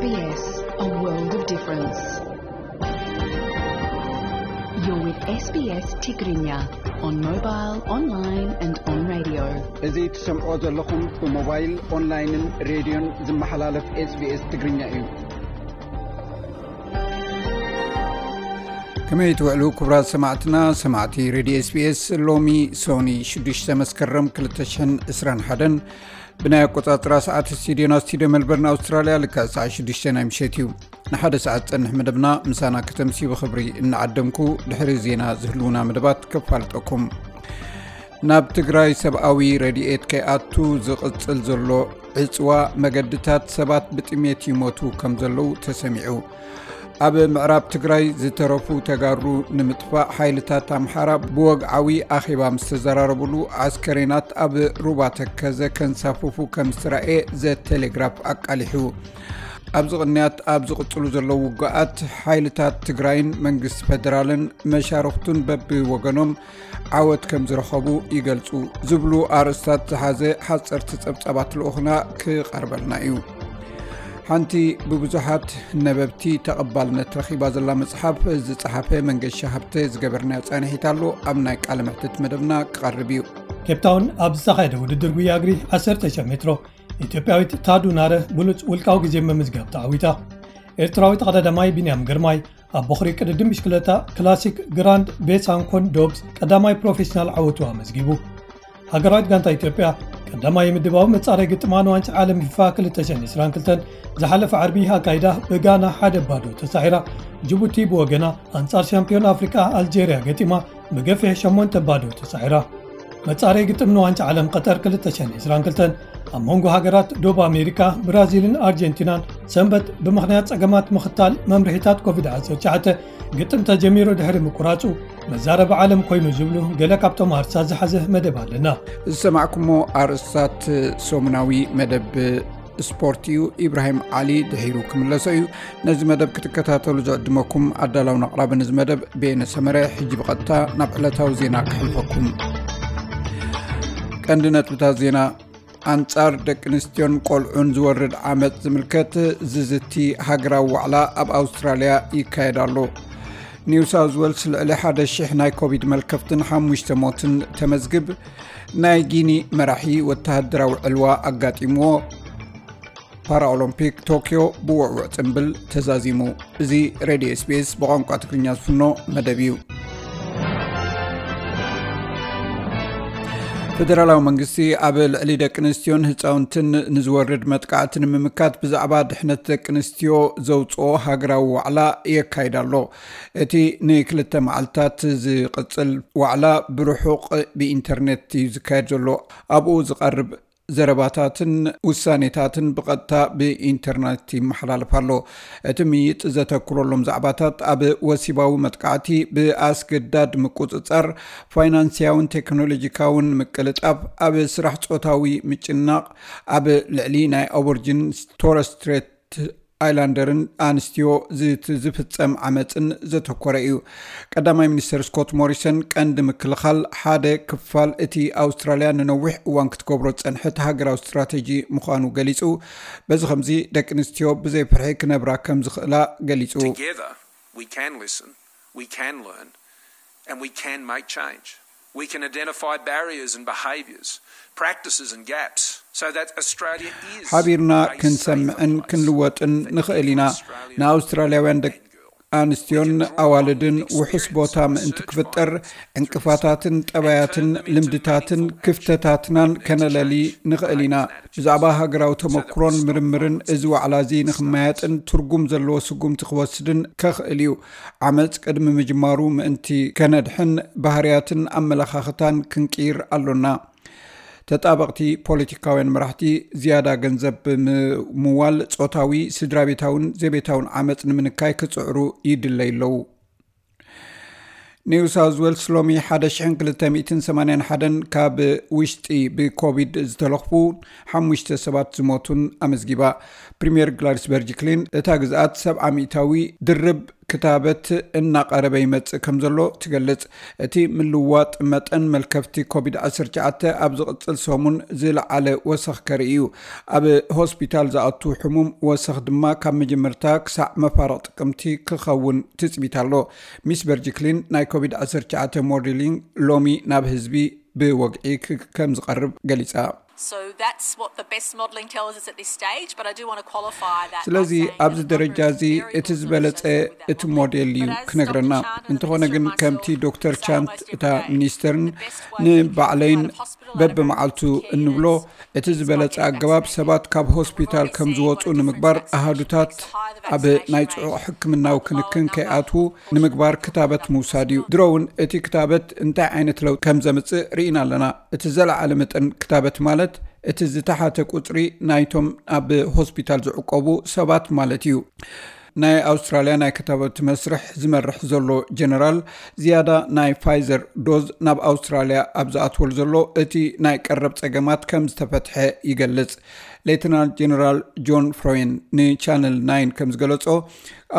S B S, a world of difference. You're with S B S Tigrinya on mobile, online and on radio. እዚ ትሰምዖ ዘለኹም ብሞባይል፣ ኦንላይንን ሬድዮን ዝመሓላለፍ SBS ትግርኛ እዩ። ከመይ ትውዕሉ ክቡራት ሰማዕትና፣ ሰማዕቲ ሬድዮ SBS? ሎሚ ሶኒ ሽዱሽተ መስከረም ክልተ ሽሕን ዕስራን ሓደን ብናይ ኣቆጻጽራ ሰዓት ስቱዲዮና፣ ስቱዲዮ ሜልበርን ኣውስትራልያ፣ ልክዕ ሰዓት ሽዱሽተ ናይ ምሸት እዩ። ንሓደ ሰዓት ዝጸንሕ መደብና ምሳና ከተምስዩ ብኽብሪ እናዓደምኩ፣ ድሕሪ ዜና ዝህልዉና መደባት ከፋልጠኩም። ናብ ትግራይ ሰብኣዊ ረድኤት ከይኣቱ ዝቕጽል ዘሎ ዕጽዋ መገድታት ሰባት ብጥሜት ይሞቱ ከም ዘለዉ ተሰሚዑ። ኣብ ምዕራብ ትግራይ ዝተረፉ ተጋሩ ንምጥፋእ ሓይልታት ኣምሓራ ብወግዓዊ ኣኼባ ምስ ተዘራረቡሉ፣ ኣስከሬናት ኣብ ሩባ ተከዘ ከንሳፍፉ ከም ዝተራእየ ዘ ቴሌግራፍ ኣቃሊሑ። ኣብዚ ቅንያት ኣብ ዝቕጽሉ ዘለዉ ውግኣት፣ ሓይልታት ትግራይን መንግስቲ ፌደራልን መሻርኽቱን በብወገኖም ዓወት ከም ዝረኸቡ ይገልጹ ዝብሉ ኣርእስታት ዝሓዘ ሓጸርቲ ጸብጻባት ልኡኽና ክቐርበልና እዩ። ሓንቲ ብብዙሓት ነበብቲ ተቐባልነት ረኺባ ዘላ መጽሓፍ ዝጸሓፈ መንገሻ ሃብተ ዝገበርናዮ ጻንሒት ኣሎ፣ ኣብ ናይ ቃለ መሕትት መደብና ክቐርብ እዩ። ኬፕታውን ኣብ ዝተኻየደ ውድድር ጉያ እግሪ ዓሰርተ ሺሕ ሜትሮ፣ ኢትዮጵያዊት ታዱ ናረ ብሉጽ ውልቃዊ ግዜ ምምዝጋብ ተዓዊታ። ኤርትራዊ ተቐዳዳማይ ቢንያም ግርማይ ኣብ ቦኽሪ ቅድድም ብሽክለታ ክላሲክ ግራንድ ቤሳንኮን ዶብስ ቀዳማይ ፕሮፌሽናል ዓወቱ ኣመዝጊቡ። ሃገራዊት ጋንታ ኢትዮጵያ ቀዳማይ ምድባዊ መጻረይ ግጥማ ንዋንጫ ዓለም ፊፋ ክልተ ሽሕን ዕስራን ክልተን ዝሓለፈ ዓርቢ ኣካይዳ ብጋና ሓደ ባዶ ተሳዒራ። ጅቡቲ ብወገና ኣንጻር ሻምፒዮን ኣፍሪቃ ኣልጄርያ ገጢማ ብገፊሕ ሸሞንተ ባዶ ተሳዒራ። መጻረይ ግጥም ንዋንጫ ዓለም ቀጠር ክልተ ሽሕን ዕስራን ክልተን ኣብ መንጎ ሃገራት ዶብ ኣሜሪካ ብራዚልን ኣርጀንቲናን ሰንበት ብምኽንያት ጸገማት ምኽታል መምርሒታት ኮቪድ ዓሰርተ ትሽዓተ ግጥም ተጀሚሩ ድሕሪ ምቁራጹ መዛረቢ ዓለም ኮይኑ ዝብሉ ገለ ካብቶም ኣርሳ ዝሓዘ መደብ ኣለና። ዝሰማዕኩሞ ኣርእስታት ሰሙናዊ መደብ ስፖርት እዩ። ኢብራሂም ዓሊ ድሒሩ ክምለሶ እዩ። ነዚ መደብ ክትከታተሉ ዝዕድመኩም ኣዳላውን ኣቕራብን እዚ መደብ በየነ ሰመረ። ሕጂ ብቐጥታ ናብ ዕለታዊ ዜና ክሕልፈኩም። ቀንዲ ነጥብታት ዜና። ኣንጻር ደቂ ኣንስትዮን ቆልዑን ዝወርድ ዓመጽ ዝምልከት ዝዝቲ ሃገራዊ ዋዕላ ኣብ ኣውስትራልያ ይካየድ ኣሎ። ኒው ሳውዝ ዌልስ ልዕሊ ሓደ ሺሕ ናይ ኮቪድ መልከፍትን ሓሙሽተ ሞትን ተመዝግብ። ናይ ጊኒ መራሒ ወተሃደራዊ ዕልዋ ኣጋጢምዎ። ፓራኦሎምፒክ ቶክዮ ብውዕውዕ ጽምብል ተዛዚሙ። እዚ ሬድዮ SBS ብቋንቋ ትግርኛ ዝፍኖ መደብ እዩ። ፌደራላዊ መንግስቲ ኣብ ልዕሊ ደቂ ኣንስትዮን ህፃውንትን ንዝወርድ መጥቃዕቲ ንምምካት ብዛዕባ ድሕነት ደቂ ኣንስትዮ ዘውፅኦ ሃገራዊ ዋዕላ የካይድ ኣሎ። እቲ ንክልተ መዓልታት ዝቕፅል ዋዕላ ብርሑቕ ብኢንተርኔት እዩ ዝካየድ ዘሎ። ኣብኡ ዝቐርብ ዘረባታትን ውሳኔታትን ብቐጥታ ብኢንተርኔት ይመሓላለፍ ኣሎ። እቲ ምይጥ ዘተኩረሎም ዛዕባታት ኣብ ወሲባዊ መጥቃዕቲ፣ ብኣስገዳድ ምቁጽጻር፣ ፋይናንስያውን ቴክኖሎጂካውን ምቅልጣፍ፣ ኣብ ስራሕ ጾታዊ ምጭናቕ፣ ኣብ ልዕሊ ናይ ኣቦርጂን ቶረስ ስትሬት ኣይላንደርን ኣንስትዮ ዝት-፣ ዝፍጸም ዓመጽን ዘተኮረ እዩ። ቀዳማይ ሚኒስተር ስኮት ሞሪሰን ቀንዲ ምክልኻል ሓደ ክፋል እቲ ኣውስትራልያ ንነዊሕ እዋን ክትገብሮ ዝጸንሐት ሃገራዊ ስትራተጂ ምዃኑ ገሊጹ። በዚ ከምዚ ደቂ ኣንስትዮ ብዘይ ፍርሒ ክነብራ ከም ዝኽእላ ገሊጹ። Together, we can listen, we can learn, and we can make change. We can identify barriers and behaviours, practices and gaps, so that Australia is ሓቢርና a safer ክንሰምዕን place ክንልወጥን for ንኽእል ኢና። Australian ንኣውስትራልያውያን ደቂ ኣንስትዮን ኣዋልድን ውሑስ ቦታ ምእንቲ ክፍጠር፣ ዕንቅፋታትን ጠባያትን ልምድታትን ክፍተታትናን ከነለሊ ንኽእል ኢና። ብዛዕባ ሃገራዊ ተመክሮን ምርምርን እዚ ዋዕላ እዚ ንኽመያጥን ትርጉም ዘለዎ ስጉምቲ ክወስድን ከኽእል እዩ። ዓመጽ ቅድሚ ምጅማሩ ምእንቲ ከነድሕን ባህርያትን ኣመለኻኽታን ክንቅይር ኣሎና። ተጣበቕቲ ፖለቲካውያን መራሕቲ ዝያዳ ገንዘብ ብምምዋል ጾታዊ፣ ስድራቤታውን ዘቤታውን ዓመጽ ንምንካይ ክጽዕሩ ይድለዩ ኣለዉ። ኒው ሳውዝ ዌልስ ሎሚ ሓደ ሽሕን ክልተ ሚእትን ሰማንያን ሓደን ካብ ውሽጢ ብኮቪድ ዝተለኽፉ ሓሙሽተ ሰባት ዝሞቱን ኣመዝጊባ። ፕሪምየር ግላድስ በርጅክሊን እታ ግዝኣት ሰብዓ ሚእታዊ ድርብ ክታበት እናቐረበ ይመጽእ ከም ዘሎ ትገልጽ። እቲ ምልዋጥ መጠን መልከፍቲ ኮቪድ ዓሰርተ ትሽዓተ ኣብ ዝቕጽል ሰሙን ዝለዓለ ወሰኽ ከርኢ እዩ። ኣብ ሆስፒታል ዝኣቱ ሕሙም ወሰኽ ድማ ካብ መጀመርታ ክሳዕ መፋርቕ ጥቅምቲ ክኸውን ትጽቢት ኣሎ። ሚስ በርጅክሊን ናይ ኮቪድ ዓሰርተ ትሽዓተ ሞዴሊንግ ሎሚ ናብ ህዝቢ ብወግዒ ክ- ከም ዝቐርብ ገሊጻ። So that's what the best modelling tells us at this stage, but I do want to qualify that. ስለዚ ኣብዚ ደረጃ እዚ እቲ ዝበለጸ እቲ ሞዴል እዩ ክነግረና። እንተኾነ ግን ከምቲ ዶክተር ቻንት እታ ሚኒስተርን ንባዕለይን በብመዓልቱ እንብሎ፣ እቲ ዝበለጸ ኣገባብ ሰባት ካብ ሆስፒታል ከም ዝወፁ ንምግባር፣ ኣሃዱታት ኣብ ናይ ጽዑቕ ሕክምናዊ ክንክን ከይኣትዉ ንምግባር ክታበት ምውሳድ እዩ። ድሮ እውን እቲ ክታበት እንታይ ዓይነት ለውጢ ከም ዘምጽእ ርኢና ኣለና። እቲ ዘለዓለ መጠን ክታበት ማለት እቲ ዝተሓተ ቁጽሪ ናይቶም ኣብ ሆስፒታል ዝዕቆቡ ሰባት ማለት እዩ። ናይ ኣውስትራልያ ናይ ክታበት መስርሕ ዝመርሕ ዘሎ ጀነራል፣ ዝያዳ ናይ ፋይዘር ዶዝ ናብ ኣውስትራልያ ኣብ ዝኣትወሉ ዘሎ እቲ ናይ ቀረብ ጸገማት ከም ዝተፈትሐ ይገልጽ። ሌተናል ጀነራል ጆን ፍሮይን ንቻነል ናይን ከም ዝገለጾ፣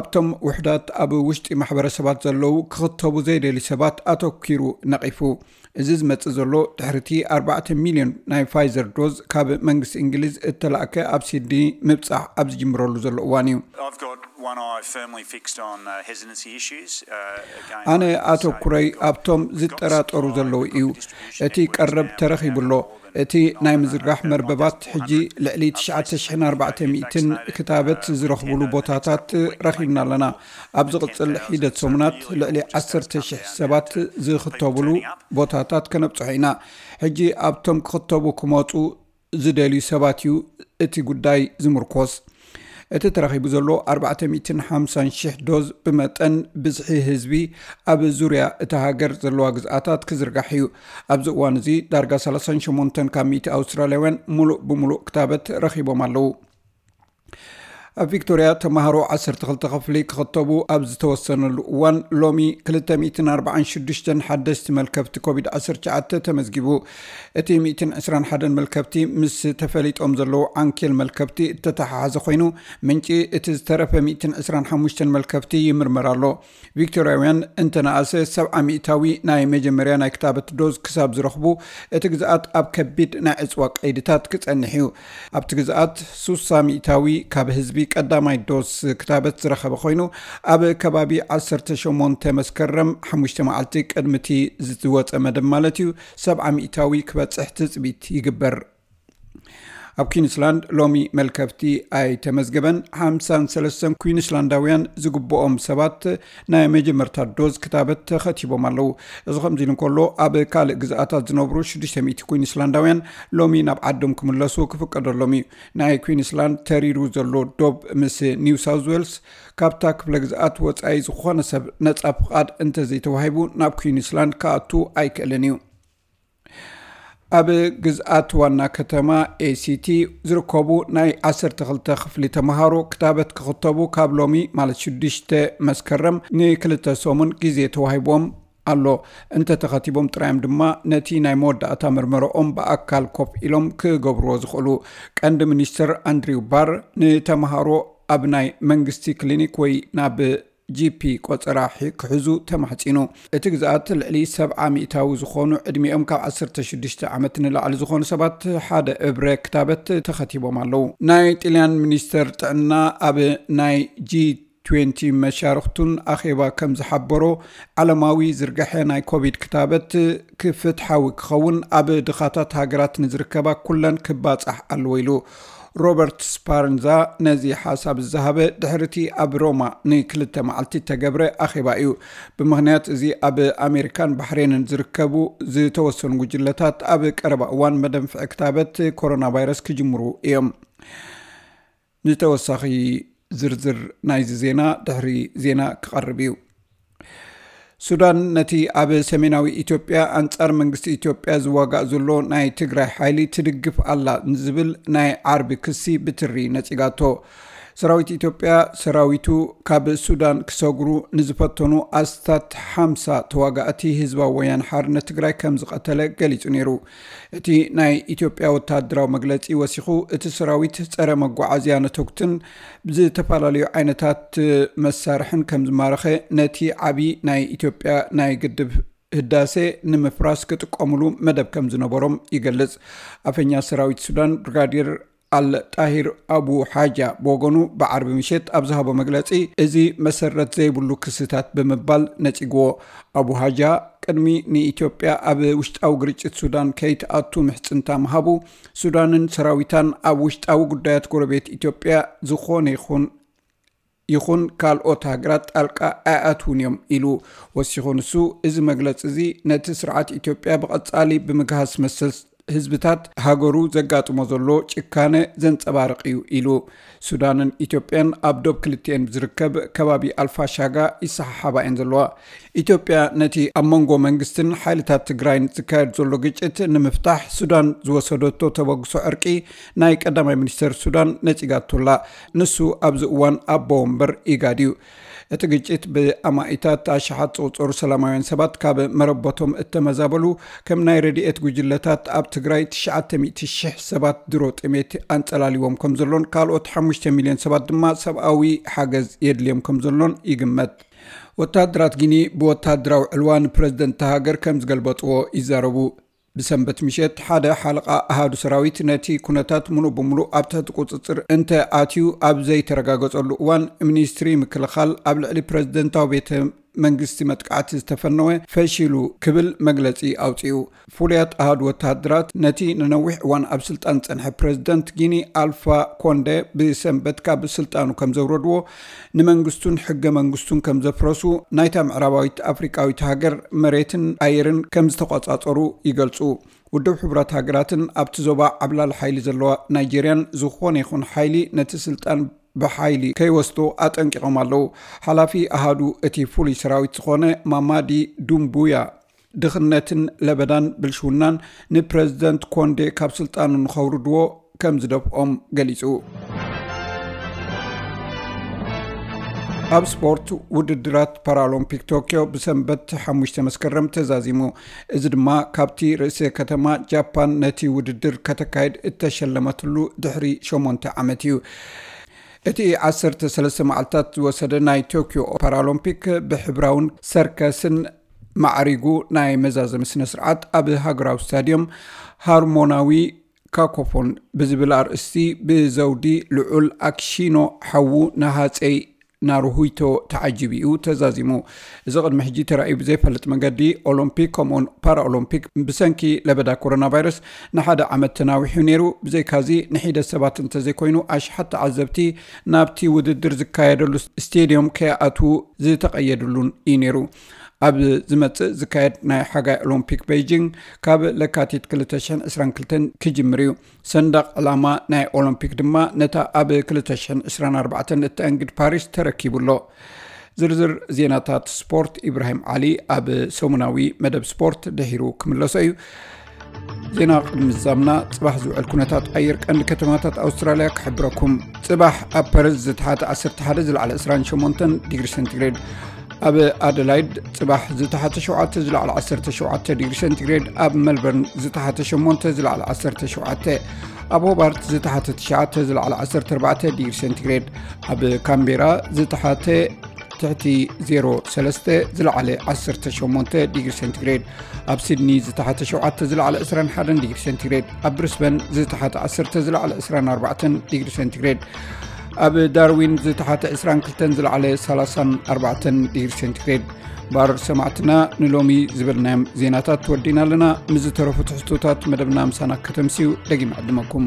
ኣብቶም ውሕዳት ኣብ ውሽጢ ማሕበረሰባት ዘለዉ ክኽተቡ ዘይደልዩ ሰባት ኣተኪሩ ነቒፉ። እዚ ዝመጽእ ዘሎ ድሕሪቲ ኣርባዕተ ሚልዮን ናይ ፋይዘር ዶዝ ካብ መንግስቲ እንግሊዝ እተላእከ ኣብ ሲድኒ ምብጻሕ ኣብ ዝጅምረሉ ዘሎ እዋን እዩ። I've got one eye firmly fixed on uh, hesitancy issues. Uh, again, ኣነ ኣተኩረይ ኣብቶም ዝጠራጠሩ ዘለዉ እዩ። እቲ ቀረብ ተረኺቡ ኣሎ። እቲ ናይ ምዝርጋሕ መርበባት ሕጂ ልዕሊ ትሽዓተ ሽሕን ኣርባዕተ ሚእትን ክታበት ዝረኽብሉ ቦታታት ረኺብና ኣለና። ኣብ ዝቕጽል ሒደት ሰሙናት ልዕሊ ዓሰርተ ሽሕ ሰባት ዝኽተብሉ ቦታታት ከነብጽሖ ኢና። ሕጂ ኣብቶም ክኽተቡ ክመጹ ዝደልዩ ሰባት እዩ እቲ ጉዳይ ዝምርኮስ። እቲ ተረኺቡ ዘሎ ኣርባዕተ ሚእትን ሓምሳን ሽሕ ዶዝ ብመጠን ብዝሒ ህዝቢ ኣብ ዙርያ እታ ሃገር ዘለዋ ግዝኣታት ክዝርጋሕ እዩ። ኣብዚ እዋን እዚ ዳርጋ ሰላሳን ሸሞንተን ካብ ሚእቲ ኣውስትራልያውያን ሙሉእ ብሙሉእ ክታበት ረኺቦም ኣለዉ። ኣብ ቪክቶርያ ተማሃሮ ዓሰርተ ክልተ ክፍሊ ክኽተቡ ኣብ ዝተወሰነሉ እዋን፣ ሎሚ ክልተ ሚእትን ኣርባዓን ሽዱሽተን ሓደስቲ መልከፍቲ ኮቪድ ዓሰርተ ትሽዓተ ተመዝጊቡ። እቲ ሚእትን ዕስራን ሓደን መልከፍቲ ምስ ተፈሊጦም ዘለዉ ዓንኬል መልከፍቲ እተተሓሓዘ ኮይኑ፣ ምንጪ እቲ ዝተረፈ ሚእትን ዕስራን ሓሙሽተን መልከፍቲ ይምርመር ኣሎ። ቪክቶርያውያን እንተነኣሰ ሰብዓ ሚእታዊ ናይ መጀመርያ ናይ ክታበት ዶዝ ክሳብ ዝረኽቡ፣ እቲ ግዝኣት ኣብ ከቢድ ናይ ዕጽዋ ቀይድታት ክጸንሕ እዩ። ኣብቲ ግዝኣት ሱሳ ሚእታዊ ካብ ህዝቢ ቀዳማይ ዶዝ ክታበት ዝረኸበ ኮይኑ፣ ኣብ ከባቢ ዓሰርተ ሸሞንተ መስከረም፣ ሓሙሽተ መዓልቲ ቅድሚ እቲ ዝወጸ መደብ ማለት እዩ፣ ሰብዓ ሚእታዊ ክበጽሕ ትጽቢት ይግበር። ኣብ ኩዊንስላንድ ሎሚ መልከፍቲ ኣይተመዝገበን። ሓምሳን ሰለስተን ኩዊንስላንዳውያን ዝግብኦም ሰባት ናይ መጀመርታ ዶዝ ክታበት ተኸቲቦም ኣለዉ። እዚ ከምዚ ኢሉ እንከሎ፣ ኣብ ካልእ ግዝኣታት ዝነብሩ ሽዱሽተ ሚእቲ ኩዊንስላንዳውያን ሎሚ ናብ ዓዶም ክምለሱ ክፍቀደሎም እዩ። ናይ ኩዊንስላንድ ተሪሩ ዘሎ ዶብ ምስ ኒው ሳውዝ ዌልስ፣ ካብታ ክፍለ ግዝኣት ወጻኢ ዝኾነ ሰብ ነጻ ፍቓድ እንተዘይተዋሂቡ ናብ ኩዊንስላንድ ክኣቱ ኣይክእልን እዩ። ኣብ ግዝኣት ዋና ከተማ ኤሲቲ ዝርከቡ ናይ ዓሰርተ ክልተ ክፍሊ ተምሃሮ ክታበት ክኽተቡ ካብ ሎሚ ማለት ሽዱሽተ መስከረም ንክልተ ሰሙን ግዜ ተዋሂቦም ኣሎ። እንተተኸቲቦም ጥራዮም ድማ ነቲ ናይ መወዳእታ መርመረኦም ብኣካል ኮፍ ኢሎም ክገብርዎ ዝኽእሉ። ቀንዲ ሚኒስትር ኣንድሪው ባር ንተምሃሮ ኣብ ናይ መንግስቲ ክሊኒክ ወይ ናብ ጂፒ ቆጸራ ክሕዙ ተማሕጺኑ። እቲ ግዝኣት ልዕሊ ሰብዓ ሚእታዊ ዝኾኑ ዕድሚኦም ካብ ዓሰርተ ሽዱሽተ ዓመት ንላዕሊ ዝኾኑ ሰባት ሓደ እብረ ክታበት ተኸቲቦም ኣለዉ። ናይ ጥልያን ሚኒስተር ጥዕና ኣብ ናይ ጂ ትዌንቲ መሻርኽቱን ኣኼባ ከም ዝሓበሮ፣ ዓለማዊ ዝርግሐ ናይ ኮቪድ ክታበት ክፍትሓዊ ክኸውን ኣብ ድኻታት ሃገራት ንዝርከባ ኩለን ክባጻሕ ኣለዎ ኢሉ። ሮበርት ስፓርንዛ ነዚ ሓሳብ ዝሃበ ድሕርቲ ኣብ ሮማ ንክልተ መዓልቲ እተገብረ ኣኼባ እዩ። ብምኽንያት እዚ ኣብ ኣሜሪካን ባሕሬንን ዝርከቡ ዝተወሰኑ ጉጅለታት ኣብ ቀረባ እዋን መደንፍዒ ክታበት ኮሮና ቫይረስ ክጅምሩ እዮም። ንተወሳኺ ዝርዝር ናይዚ ዜና ድሕሪ ዜና ክቐርብ እዩ። ሱዳን ነቲ ኣብ ሰሜናዊ ኢትዮጵያ ኣንጻር መንግስቲ ኢትዮጵያ ዝዋጋእ ዘሎ ናይ ትግራይ ሓይሊ ትድግፍ ኣላ ንዝብል ናይ ዓርቢ ክሲ ብትሪ ነጺጋቶ። ሰራዊት ኢትዮጵያ ሰራዊቱ ካብ ሱዳን ክሰግሩ ንዝፈተኑ ኣስታት ሓምሳ ተዋጋእቲ ህዝባዊ ወያነ ሓርነት ትግራይ ከም ዝቐተለ ገሊጹ ነይሩ። እቲ ናይ ኢትዮጵያ ወታደራዊ መግለጺ ወሲኹ፣ እቲ ሰራዊት ጸረ መጓዓዝያ ነተጉትን ብዝተፈላለዩ ዓይነታት መሳርሕን ከም ዝማረኸ፣ ነቲ ዓቢ ናይ ኢትዮጵያ ናይ ግድብ ህዳሴ ንምፍራስ ክጥቀሙሉ መደብ ከም ዝነበሮም ይገልጽ። ኣፈኛ ሰራዊት ሱዳን ብርጋዴር ኣል ጣሂር ኣቡ ሓጃ ብወገኑ ብዓርቢ ምሸት ኣብ ዝሃቦ መግለጺ፣ እዚ መሰረት ዘይብሉ ክስታት ብምባል ነጺግዎ። ኣቡ ሓጃ ቅድሚ ንኢትዮጵያ ኣብ ውሽጣዊ ግርጭት ሱዳን ከይትኣቱ ምሕጽንታ ምሃቡ፣ ሱዳንን ሰራዊታን ኣብ ውሽጣዊ ጉዳያት ጎረቤት ኢትዮጵያ ዝኾነ ይኹን ይኹን ካልኦት ሃገራት ጣልቃ ኣይኣትውን እዮም ኢሉ። ወሲኹ ንሱ፣ እዚ መግለጺ እዚ ነቲ ስርዓት ኢትዮጵያ ብቐጻሊ ብምግሃስ መሰል ህዝብታት ሃገሩ ዘጋጥሞ ዘሎ ጭካነ ዘንጸባርቕ እዩ ኢሉ። ሱዳንን ኢትዮጵያን ኣብ ዶብ ክልቲኤን ዝርከብ ከባቢ ኣልፋሻጋ ይሰሓሓባ እየን ዘለዋ። ኢትዮጵያ ነቲ ኣብ መንጎ መንግስትን ሓይልታት ትግራይን ዝካየድ ዘሎ ግጭት ንምፍታሕ ሱዳን ዝወሰደቶ ተበግሶ ዕርቂ ናይ ቀዳማይ ሚኒስተር ሱዳን ነጺጋቶላ። ንሱ ኣብዚ እዋን ኣቦ ወንበር ኢጋድ እዩ። እቲ ግጭት ብኣማኢታት ኣሽሓት ዝቑጸሩ ሰላማውያን ሰባት ካብ መረበቶም እተመዛበሉ፣ ከም ናይ ረድኤት ጉጅለታት ኣብ ትግራይ ትሽዓተ ሚእቲ ሺሕ ሰባት ድሮ ጥሜት ኣንጸላሊዎም ከም ዘሎን ካልኦት ሓሙሽተ ሚልዮን ሰባት ድማ ሰብኣዊ ሓገዝ የድልዮም ከም ዘሎን ይግመት። ወታደራት ጊኒ ብወታደራዊ ዕልዋ ንፕረዚደንት እታ ሃገር ከም ዝገልበጥዎ ይዛረቡ። ብሰንበት ምሸት ሓደ ሓለቓ ኣሃዱ ሰራዊት ነቲ ኩነታት ምሉእ ብምሉእ ኣብ ትሕቲ ቁጽጽር እንተ ኣትዩ ኣብ ዘይተረጋገጸሉ እዋን፣ ሚኒስትሪ ምክልኻል ኣብ ልዕሊ ፕረዚደንታዊ ቤተ መንግስቲ መጥቃዕቲ ዝተፈነወ ፈሺሉ ክብል መግለጺ ኣውጺኡ። ፍሉያት ኣሃዱ ወተሃደራት ነቲ ንነዊሕ እዋን ኣብ ስልጣን ዝጸንሐ ፕረዚደንት ጊኒ ኣልፋ ኮንደ ብሰንበት ካብ ስልጣኑ ከም ዘውረድዎ፣ ንመንግስቱን ሕገ መንግስቱን ከም ዘፍረሱ፣ ናይታ ምዕራባዊት ኣፍሪቃዊት ሃገር መሬትን ኣየርን ከም ዝተቆጻጸሩ ይገልጹ። ውድብ ሕቡራት ሃገራትን ኣብቲ ዞባ ዓብላሊ ሓይሊ ዘለዋ ናይጄርያን ዝኾነ ይኹን ሓይሊ ነቲ ስልጣን ብሓይሊ ከይወስዶ ኣጠንቂቖም ኣለዉ። ሓላፊ ኣሃዱ እቲ ፍሉይ ሰራዊት ዝኾነ ማማዲ ዱምቡያ፣ ድኽነትን ለበዳን ብልሽውናን ንፕረዚደንት ኮንዴ ካብ ስልጣኑ ንኸውርድዎ ከም ዝደፍኦም ገሊጹ። ኣብ ስፖርት፣ ውድድራት ፓራኦሎምፒክ ቶክዮ ብሰንበት ሓሙሽተ መስከረም ተዛዚሙ። እዚ ድማ ካብቲ ርእሰ ከተማ ጃፓን ነቲ ውድድር ከተካይድ እተሸለመትሉ ድሕሪ ሸሞንተ ዓመት እዩ። እቲ ዓሰርተ ሰለስተ መዓልታት ዝወሰደ ናይ ቶክዮ ፓራኦሎምፒክ ብሕብራውን ሰርከስን ማዕሪጉ ናይ መዛዘሚ ስነ ስርዓት ኣብ ሃገራዊ ስታድዮም ሃርሞናዊ ካኮፎን ብዝብል ኣርእስቲ ብዘውዲ ልዑል ኣክሺኖ ሓዉ ንሃፀይ ናሩሂቶ ተዓጂቡ እዩ ተዛዚሙ። እዚ ቅድሚ ሕጂ ተራእዩ ብዘይፈልጥ መገዲ ኦሎምፒክ ከምኡውን ፓራኦሎምፒክ ብሰንኪ ለበዳ ኮሮና ቫይረስ ንሓደ ዓመት ተናዊሑ ነይሩ። ብዘይካዚ ንሒደት ሰባት እንተዘይኮይኑ ኣሽሓት ተዓዘብቲ ናብቲ ውድድር ዝካየደሉ ስቴድዮም ከይኣትዉ ዝተቐየድሉን እዩ ነይሩ። ኣብ ዝመጽእ ዝካየድ ናይ ሓጋይ ኦሎምፒክ ቤይጂንግ ካብ ለካቲት ክልተ ሽሕን ዕስራን ክልተን ክጅምር እዩ። ሰንደቕ ዕላማ ናይ ኦሎምፒክ ድማ ነታ ኣብ ክልተ ሽሕን ዕስራን ኣርባዕተን እተኣንግድ ፓሪስ ተረኪቡ ኣሎ። ዝርዝር ዜናታት ስፖርት ኢብራሂም ዓሊ ኣብ ሰሙናዊ መደብ ስፖርት ድሒሩ ክምለሶ እዩ። ዜና ቅድሚ ዝዛምና፣ ጽባሕ ዝውዕል ኩነታት ኣየር ቀንዲ ከተማታት ኣውስትራልያ ክሕብረኩም። ጽባሕ ኣብ ፐርዝ ዝተሓተ ዓሰርተ ሓደ ዝለዓለ ዕስራን ሸሞንተን ዲግሪ ሴንቲግሬድ፣ ኣብ ኣደላይድ ጽባሕ ዝተሓተ ሸውዓተ ዝለዓለ ዓሰርተ ሸውዓተ ዲግሪ ሴንቲግሬድ፣ ኣብ መልበርን ዝተሓተ ሸሞንተ ዝለዓለ ዓሰርተ ሸውዓተ፣ ኣብ ሆባርት ዝተሓተ ትሽዓተ ዝለዓለ ዓሰርተ ኣርባዕተ ዲግሪ ሴንቲግሬድ፣ ኣብ ካምቤራ ዝተሓተ ትሕቲ ዜሮ ሰለስተ ዝለዓለ ዓሰርተ ሸሞንተ ዲግሪ ሴንቲግሬድ፣ ኣብ ሲድኒ ዝተሓተ ሸውዓተ ዝለዓለ ዕስራን ሓደን ዲግሪ ሴንቲግሬድ፣ ኣብ ብሪስበን ዝተሓተ ዓሰርተ ዝለዓለ ዕስራን ኣርባዕተን ዲግሪ ሴንቲግሬድ፣ ኣብ ዳርዊን ዝተሓተ ዕስራን ክልተን ዝለዓለ ሰላሳን ኣርባዕተን ዲግሪ ሴንቲግሬድ። ባር ሰማዕትና፣ ንሎሚ ዝበልናዮም ዜናታት ወዲና ኣለና። ምስ ዝተረፉ ትሕዝቶታት መደብና ምሳና ከተምስዩ ደጊም ዕድመኩም።